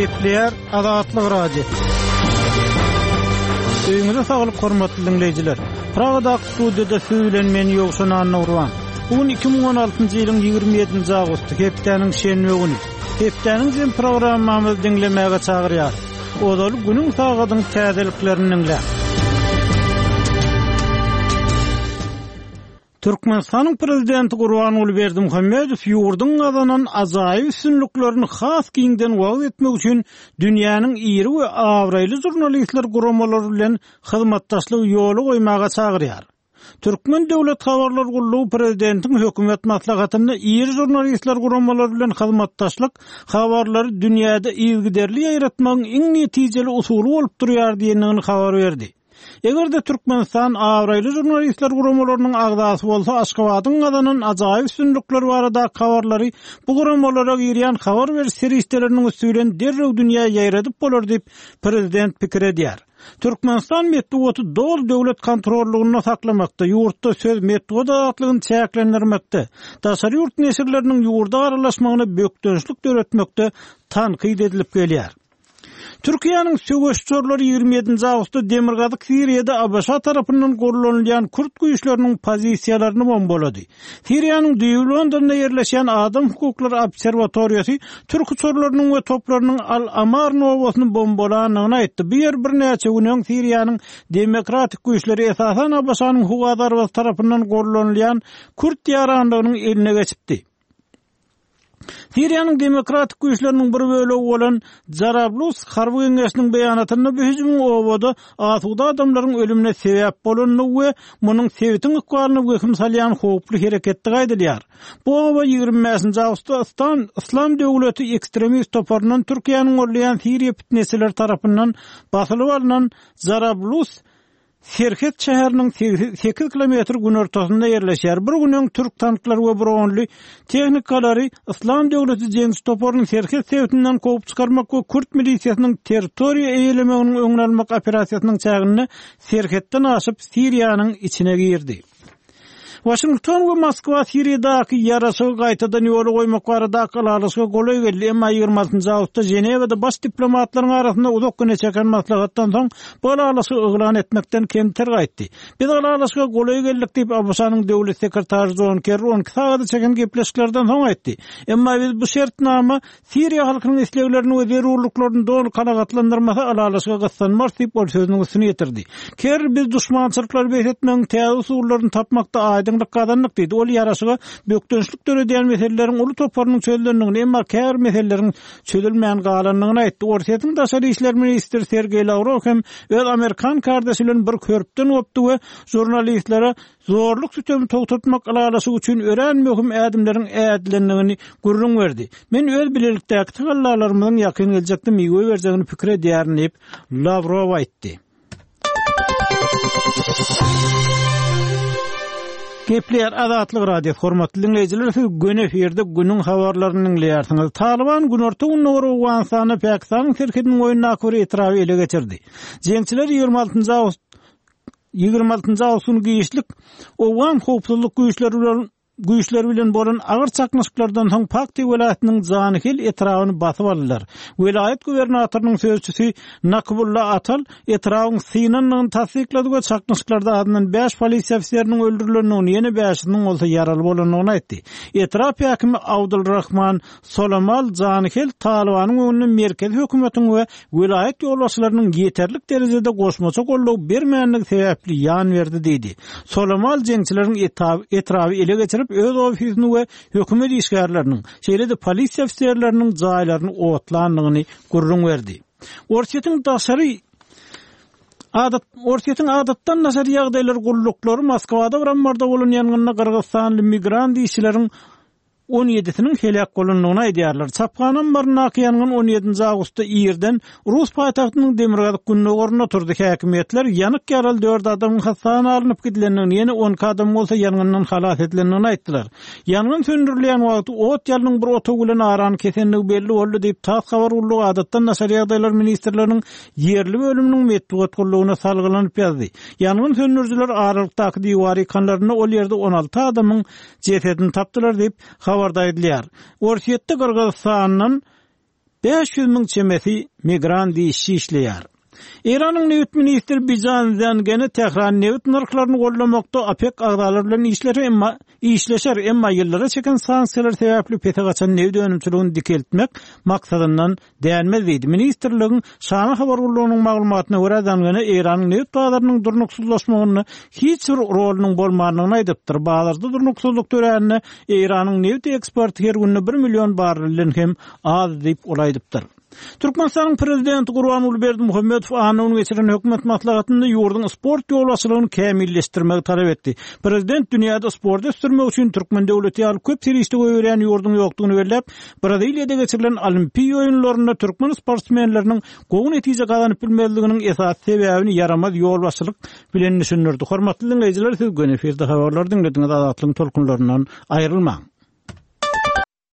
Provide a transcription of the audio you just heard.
Gepleýär Azatlyk Radiosy. Öýüňize saglyk hormatly diňleýjiler. Pragadaky studiýada siz bilen men Ýowşan Annagurban. Bu gün 2016-njy ýylyň 27-nji awgusty, hepdäniň şenbe güni. Hepdäniň jem programmamyzy diňlemäge çagyrýarys. Ozaly günüň sagadyň täzeliklerini diňläň. Türkmenistanyň Prezidenti Gurbanguly Berdimuhamedow ýurduň gazanan ajaýyp üstünliklerini has giňden wagyz etmek üçin dünýäniň iri we abraýly žurnalistler guramalary bilen hyzmatdaşlygy ýola goýmaga çagyrýar. Türkmen döwlet habarlar gullugy prezidentiň hökümet maslahatynda iri žurnalistler guramalary bilen hyzmatdaşlyk habarlary dünýäde yzygiderli ýaýratmagyň iň netijeli usuly bolup durýar diýendigini habar berdi. Eger-de Türkmenistan abraýly žurnalistler guramalarynyň agzasy bolsa, Aşgabadyň gazanan ajaýyp üstünlikleri baradaky habarlary bu guramalara girýän habar beriş serişdeleriniň üsti bilen derrew dünýä ýaýradyp bolar diýip, prezident pikir edýär. Türkmenistan metbugaty doly döwlet kontrollygynda saklamakda, ýurtda söz, metbugat azatlygyny çäklendirmekde, daşary ýurt neşirleriniň ýurda aralaşmagyna bökdençlik döretmekde tankyt edilip gelýär. Türkiýäniň söweş uçarlary 27-nji awgustda demirgazyk Siriýada ABŞ tarapyndan gollanylýan kürt güýçleriniň pozisiýalaryny bombalady. Siriýanyň düýbi Londonda ýerleşýän Adam hukuklary obserwatoriýasy türk uçarlarynyň we toplarynyň Al-Amarn obasyny bombalandygyny aýtdy. Bu ýer birnäçe gün öň Siriýanyň demokratik güýçleri, esasan ABŞ-nyň howa zarbasy tarapyndan gollanylýan kürt ýaranlygynyň eline geçipdi. Siriýanyň demokratik güýçleriniň bir bölegi bolan Jarablus harby geňeşiniň beýanatynda bu hüjümiň obada asuda adamlaryň ölümine sebäp bolandygy we munuň sebitiň ykbalyna wehim salýan howply hereketdigi aýdylýar. Bu oba 25-nji awgustda Yslam Yslam döwleti ekstremist toparyndan Türkiýäniň goldaýan siriýa pitneçileri tarapyndan basylyp alnan Jarablus Serhet şäheriniň sekiz kilometr günortasynda ýerleşýär. Bir gün öň türk tanklary we bronly tehnikalary Yslam döwleti jeňçi toparyny serhet sebitinden kowup çykarmak we kürt milisiýasynyň territoriýa eýelemeginiň öňüni almak operasiýasynyň çäginde serhetden aşyp Siriýanyň içine girdi. Waşington we Moskwa Siriýadaky ýaraşygy gaýtadan ýola goýmak baradaky ylalaşyga golaý geldi, emma 26 awgustda Ženewada baş diplomatlaryň arasynda uzak güne çeken maslahatdan soň bu ylalaşygy yglan etmekden kemter gaýtdy. Biz ylalaşyga golaý geldik diýip, ABŞ-nyň döwlet sekretary Jon Kerri 12 sagada çeken gepleşiklerden soň aýtdy. Emma biz bu şertnama Siriýa halkynyň isleglerini we zerurlyklaryny doly kanagatlandyrmasa, ylalaşyga gyssanmarys diýip, ol sözüniň üstüni ýetirdi. Kerri biz duşmançylyklary bes etmegiň täze usullaryny tapmakda aýdyňlyk gazandyk diýdi. Ol ýaraşyga bökdençlik döredýän meseleleriň uly toparynyň çözülendigini, emma käbir meseleleriň çözülmän galandygyny aýtdy. Orsýetiň daşary işler ministri Sergeý Lawrow hem öz amerikan kardeşi bilen bir hörpden gopdy we žurnalistlere Zorluk-sütemi togtatmak ylalaşygy üçin örän möhüm ädimleriň ädilendigini gürrüň berdi. Men öz bilelikdäki tagallalarymyzyň ýakyn geljekde miwe berjegini pikir edýärin diýip, Lawrow aýtdy. Gepleýär Azatlyk Radiosy, hormatly diňleýjiler, siz göni efirde günüň habarlaryny diňleýärsiňiz. Talyban günorta-gündogar Owganystanda Pakistanyň serhediniň boýundaky bir etraby ele geçirdi. Jeňçiler 26 awgust 26 awgust güni giçlik owgan howpsuzlyk güýçleri bilen güýçleri bilen bolan agyr çaknyşyklardan soň Pakti welaýatynyň Janihel etrabyny basyp aldylar. Welaýat gubernatorynyň sözçüsi Nakybulla Atal etrabyň synandygyny tassyklady we çaknyşyklarda azyndan bäş polisiýa ofiseriniň öldürilendigini, ýene bäşisiniň bolsa ýaraly bolandygyny aýtdy. Etrap häkimi Abdulrahman Solamal Janihel Talybanyň öňünde merkezi hökümetiň we welaýat ýolbaşçylarynyň ýeterlik derejede goşmaça goldaw bermändigi sebäpli ýan berdi diýdi. Solamal jeňçileriň etraby ele geçirip, öz ofisini we hökümet işgärleriniň, şeýle-de polisiýa ofiserleriniň jaýlaryny otlandygyny gürrüň berdi. Orsýetiň daşary Adat Orsýetiň adatdan daşary ýagdaýlar gulluklary Moskwada bir ammarda bolan ýangynda gyrgyzystanly migrant işçileriň on ýedisiniň heläk bolandygyny aýdýarlar. Çaphana ammaryndaky ýangyn on ýedinji awgustda irden rus paýtagtynyň demirgazyk-gündogarynda turdy. Häkimiýetler ýanyk ýaraly dört adamyň hassahana alnyp gidilendigini, ýene on iki adamyň bolsa ýangyndan halas edilendigini aýtdylar. Ýangyn söndürilýän wagty ot ýalnyň bir otag bilen arany kesendigi belli boldy diýip, tass habar gullugy Adatdan daşary ýagdaýlar ministrliginiň ýerli bölüminiň metbugat gullugyna salgylanyp ýazdy. Ýangyn söndürijiler aralykdaky diwary ýykanlarynda ol ýerde 16 adamyň jesedini tapdylar diýip, habarda aýdylýar. Orsýetde Gyrgyzystandan 500 müň çemesi migrant işçi işleýär. Eýranyň nebit ministri Bijan Zangene Tähran nebit nyrhlaryny goldamakda OPEK agzalary bilen işler, emma işleşer, emma ýyllara çeken sanksiýalar sebäpli pese gaçan nebit önümçiligini dikeltmek maksadyndan dänmez diýdi. Ministrligiň Şana habar gullugynyň maglumatyna görä, Zangene Eýranyň nebit bazarynyň durnuksyzlaşmagynda hiç bir rolunyň bolmandygyny aýdypdyr. Bazarda durnuksyzlyk dörände Eýranyň nebit eksporty her günde bir million barrelden hem az diýip, ol aýdypdyr. Türkmenistanyň Prezidenti Gurbanguly Berdimuhamedow anna güni geçiren hökümet maslahatynda ýurduň sport ýolbaşçylygyny kämilleşdirmegi talap etdi. Prezident dünýäde sporty ösdürmek üçin türkmen döwleti ýaly köp serişde goýberýän ýurduň ýokdugyny belläp, Braziliýada geçirilen Olimpiýa oýunlarynda türkmen sportsmenleriniň gowy netije gazanyp bilmezliginiň esasy sebäbini ýaramaz ýolbaşçylyk bilen düşündirdi. Hormatly diňleýjiler, siz göni efirde habarlary diňlediňiz, Azatlygyň tolkunlaryndan aýrylmaň.